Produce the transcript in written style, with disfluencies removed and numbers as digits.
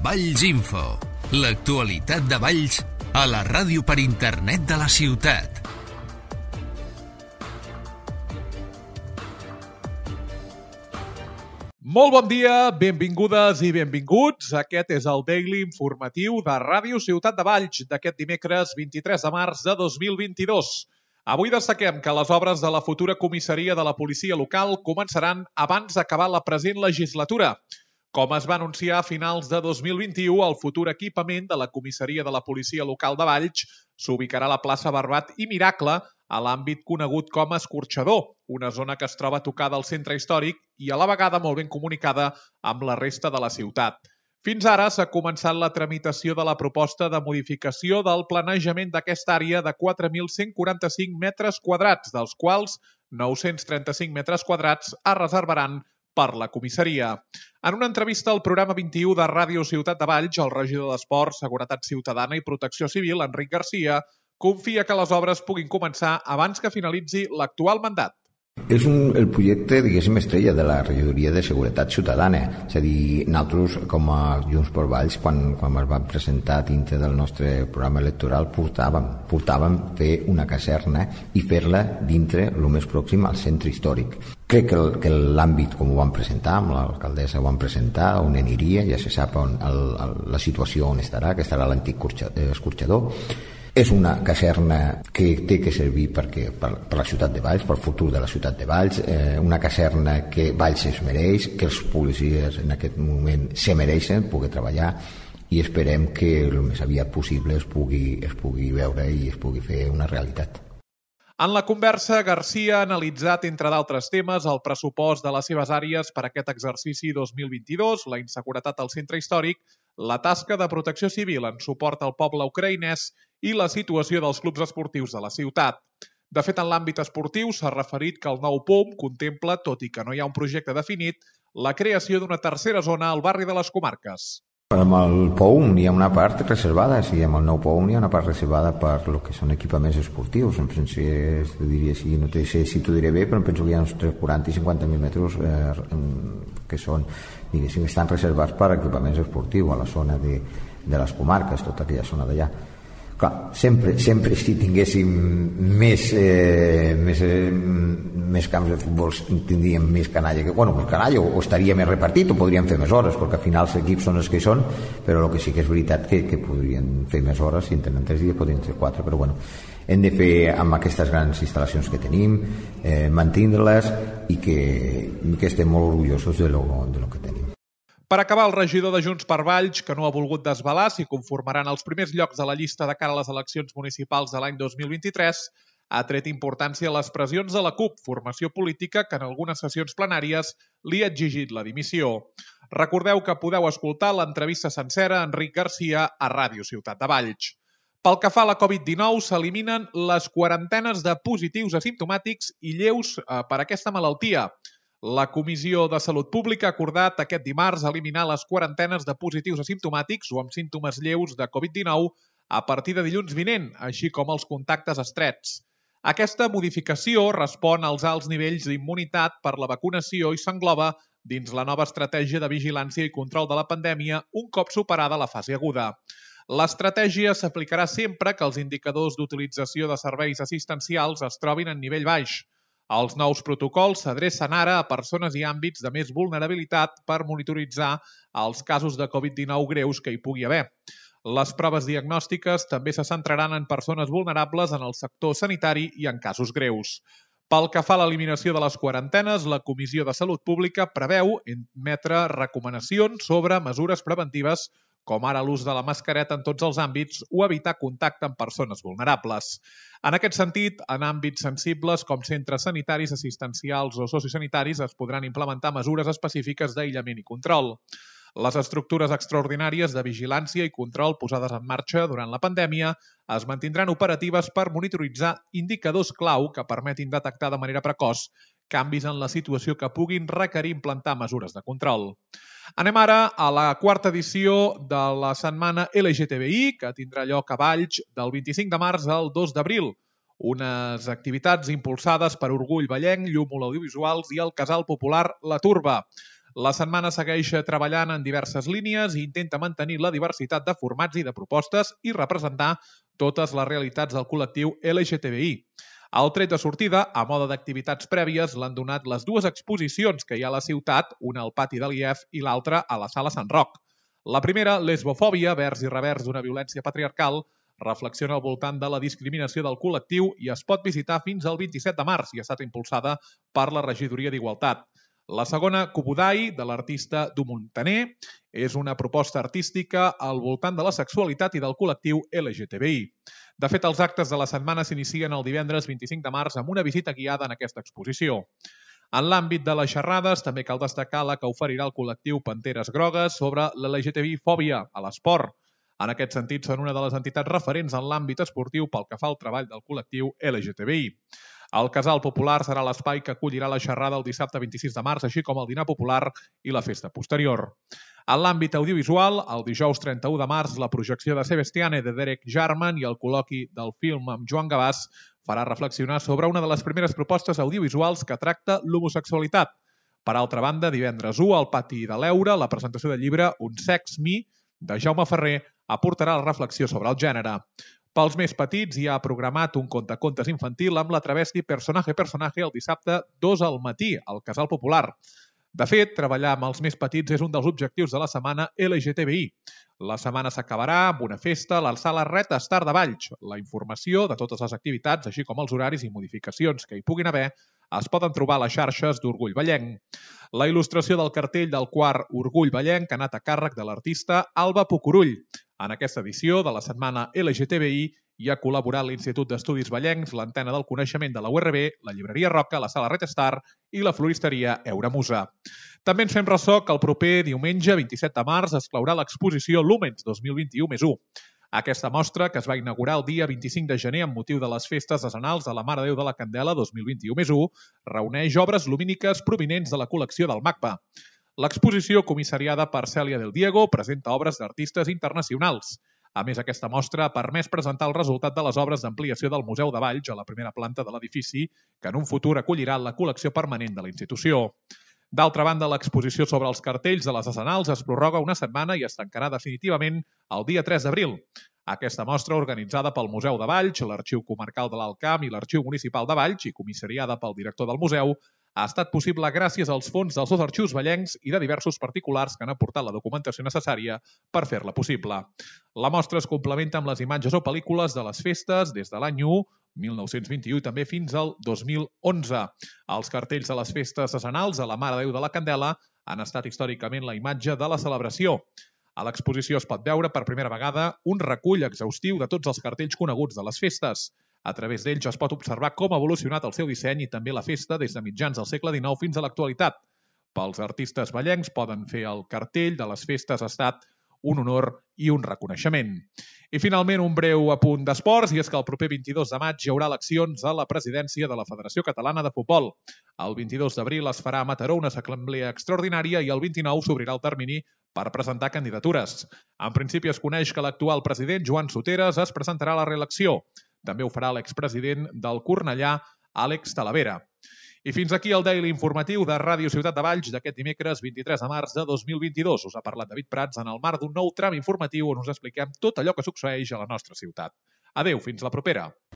Valls Info, l'actualitat de Valls a la ràdio per internet de la ciutat. Molt bon dia, benvingudes i benvinguts. Aquest és el Daily informatiu de Ràdio Ciutat de Valls d'aquest dimecres 23 de març de 2022. Avui destaquem que les obres de la futura comissaria de la policia local començaran abans d'acabar la present legislatura. Com es va anunciar a finals de 2021, el futur equipament de la comissaria de la policia local de Valls s'ubicarà a la plaça Barbat i Miracle, a l'àmbit conegut com Escorxador, una zona que es troba tocada al centre històric i a la vegada molt ben comunicada amb la resta de la ciutat. Fins ara s'ha començat la tramitació de la proposta de modificació del planejament d'aquesta àrea de 4.145 metres quadrats, dels quals 935 metres quadrats es reservaran per la comissaria. En una entrevista al programa 21 de Ràdio Ciutat de Valls, el regidor d'Esports, Seguretat Ciutadana i Protecció Civil, Enric Garcia, confia que les obres puguin començar abans que finalitzi l'actual mandat. És el projecte, diguéssim, estrella de la regidoria de Seguretat Ciutadana. És a dir, nosaltres, com a Junts per Valls, quan es va presentar dintre del nostre programa electoral, portàvem fer una caserna i fer-la dintre el més pròxim al centre històric. Crec que l'àmbit, com ho vam presentar, amb l'alcaldessa ho vam presentar, on aniria, ja se sap la situació on estarà, que estarà l'antic escorxador. És una caserna que té que servir per la ciutat de Valls, pel futur de la ciutat de Valls, una caserna que Valls es mereix, que els policies en aquest moment se mereixen poder treballar i esperem que el més aviat possible es pugui veure i es pugui fer una realitat. En la conversa, Garcia ha analitzat, entre d'altres temes, el pressupost de les seves àrees per aquest exercici 2022, la inseguretat al centre històric, la tasca de protecció civil en suport al poble ucraïnès i la situació dels clubs esportius de la ciutat. De fet, en l'àmbit esportiu s'ha referit que el nou POM contempla, tot i que no hi ha un projecte definit, la creació d'una tercera zona al barri de les Comarques. Amb el POUM hi ha una part reservada, sí, amb el nou POUM hi ha una part reservada per el que són equipaments esportius. En principi, diria, sí, no sé si t'ho diré bé, però em penso que hi ha uns 40 i 50.000 metres que són, diguéssim, estan reservats per equipaments esportius a la zona de les Comarques, tota aquella zona d'allà. Clar, sempre si tinguéssim més camps de futbol tindríem més canalla, més canalla o estaria més repartit o podríem fer més hores, perquè al final els equips són els que són, però el que sí que és veritat que podrien fer més hores, si en tenen 3 dies podrien fer 4, però hem de fer amb aquestes grans instal·lacions que tenim, mantenir-les i que estem molt orgullosos de lo que tenim. Per acabar, el regidor de Junts per Valls, que no ha volgut desvelar si conformaran els primers llocs de la llista de cara a les eleccions municipals de l'any 2023, ha tret importància a les pressions de la CUP, formació política que en algunes sessions plenàries li ha exigit la dimissió. Recordeu que podeu escoltar l'entrevista sencera a Enric Garcia a Ràdio Ciutat de Valls. Pel que fa a la Covid-19, s'eliminen les quarantenes de positius asimptomàtics i lleus per aquesta malaltia. La Comissió de Salut Pública ha acordat aquest dimarts eliminar les quarantenes de positius asimptomàtics o amb símptomes lleus de Covid-19 a partir de dilluns vinent, així com els contactes estrets. Aquesta modificació respon als alts nivells d'immunitat per la vacunació i s'engloba dins la nova estratègia de vigilància i control de la pandèmia un cop superada la fase aguda. L'estratègia s'aplicarà sempre que els indicadors d'utilització de serveis assistencials es trobin en nivell baix. Els nous protocols s'adrecen ara a persones i àmbits de més vulnerabilitat per monitoritzar els casos de Covid-19 greus que hi pugui haver. Les proves diagnòstiques també se centraran en persones vulnerables en el sector sanitari i en casos greus. Pel que fa a l'eliminació de les quarantenes, la Comissió de Salut Pública preveu emetre recomanacions sobre mesures preventives com ara l'ús de la mascareta en tots els àmbits o evitar contacte amb persones vulnerables. En aquest sentit, en àmbits sensibles com centres sanitaris, assistencials o sociosanitaris es podran implementar mesures específiques d'aïllament i control. Les estructures extraordinàries de vigilància i control posades en marxa durant la pandèmia es mantindran operatives per monitoritzar indicadors clau que permetin detectar de manera precoç canvis en la situació que puguin requerir implantar mesures de control. Anem ara a la quarta edició de la setmana LGTBI, que tindrà lloc a Valls del 25 de març al 2 d'abril. Unes activitats impulsades per Orgull Vallenc, Llúmol Audiovisuals i el Casal Popular La Turba. La setmana segueix treballant en diverses línies i intenta mantenir la diversitat de formats i de propostes i representar totes les realitats del col·lectiu LGTBI. El tret de sortida, a mode d'activitats prèvies, l'han donat les dues exposicions que hi ha a la ciutat, una al pati de l'IEF i l'altra a la Sala Sant Roc. La primera, Lesbofòbia, vers i revers d'una violència patriarcal, reflexiona al voltant de la discriminació del col·lectiu i es pot visitar fins al 27 de març i ha estat impulsada per la Regidoria d'Igualtat. La segona, Kubudai, de l'artista Du Montaner, és una proposta artística al voltant de la sexualitat i del col·lectiu LGTBI. De fet, els actes de la setmana s'inicien el divendres 25 de març amb una visita guiada en aquesta exposició. En l'àmbit de les xerrades, també cal destacar la que oferirà el col·lectiu Panteres Grogues sobre l'LGTBI-fòbia a l'esport. En aquest sentit, són una de les entitats referents en l'àmbit esportiu pel que fa al treball del col·lectiu LGTBI. El Casal Popular serà l'espai que acollirà la xerrada el dissabte 26 de març, així com el dinar popular i la festa posterior. En l'àmbit audiovisual, el dijous 31 de març, la projecció de Sebastiane de Derek Jarman i el col·loqui del film amb Joan Gavàs farà reflexionar sobre una de les primeres propostes audiovisuals que tracta l'homosexualitat. Per altra banda, divendres 1, al pati de l'Eure, la presentació del llibre Un sex me, de Jaume Ferrer, aportarà la reflexió sobre el gènere. Pels més petits hi ha programat un contacontes infantil amb la travesti Personaje el dissabte 2 al matí, al Casal Popular. De fet, treballar amb els més petits és un dels objectius de la setmana LGTBI. La setmana s'acabarà amb una festa a la sala Reta Star de Valls. La informació de totes les activitats, així com els horaris i modificacions que hi puguin haver, es poden trobar a les xarxes d'Orgull Vallenc. La il·lustració del cartell del quart Orgull Vallenc ha anat a càrrec de l'artista Alba Pucurull. En aquesta edició de la setmana LGTBI hi ha col·laborat l'Institut d'Estudis Vallencs, l'Antena del Coneixement de la URB, la Llibreria Roca, la Sala Red Star i la floristeria Euramusa. També ens fem ressò que el proper diumenge 27 de març es claurà l'exposició Lúmens 2021+1. Aquesta mostra, que es va inaugurar el dia 25 de gener amb motiu de les festes decenals de la Mare de Déu de la Candela 2021+1, reuneix obres lumíniques provinents de la col·lecció del MACBA. L'exposició, comissariada per Cèlia del Diego, presenta obres d'artistes internacionals. A més, aquesta mostra ha permès presentar el resultat de les obres d'ampliació del Museu de Valls a la primera planta de l'edifici, que en un futur acollirà la col·lecció permanent de la institució. D'altra banda, l'exposició sobre els cartells de les decenals es prorroga una setmana i es tancarà definitivament el dia 3 d'abril. Aquesta mostra, organitzada pel Museu de Valls, l'Arxiu Comarcal de l'Alt Camp i l'Arxiu Municipal de Valls i comissariada pel director del museu, ha estat possible gràcies als fons dels dos arxius vallencs i de diversos particulars que han aportat la documentació necessària per fer-la possible. La mostra es complementa amb les imatges o pel·lícules de les festes des de l'any 1, 1921 i també fins al 2011. Els cartells de les festes decenals a la Mare de Déu de la Candela han estat històricament la imatge de la celebració. A l'exposició es pot veure per primera vegada un recull exhaustiu de tots els cartells coneguts de les festes. A través d'ells es pot observar com ha evolucionat el seu disseny i també la festa des de mitjans del segle XIX fins a l'actualitat. Pels artistes vallencs poden fer el cartell de les festes ha estat un honor i un reconeixement. I finalment un breu apunt d'esports, i és que el proper 22 de maig hi haurà eleccions a la presidència de la Federació Catalana de Futbol. El 22 d'abril es farà a Mataró una assemblea extraordinària i el 29 s'obrirà el termini per presentar candidatures. En principi es coneix que l'actual president, Joan Soteres, es presentarà a la reelecció. També ho farà l'expresident del Cornellà, Àlex Talavera. I fins aquí el Daily informatiu de Ràdio Ciutat de Valls d'aquest dimecres 23 de març de 2022. Us ha parlat David Prats en el marc d'un nou tram informatiu on us expliquem tot allò que succeeix a la nostra ciutat. Adéu, fins la propera.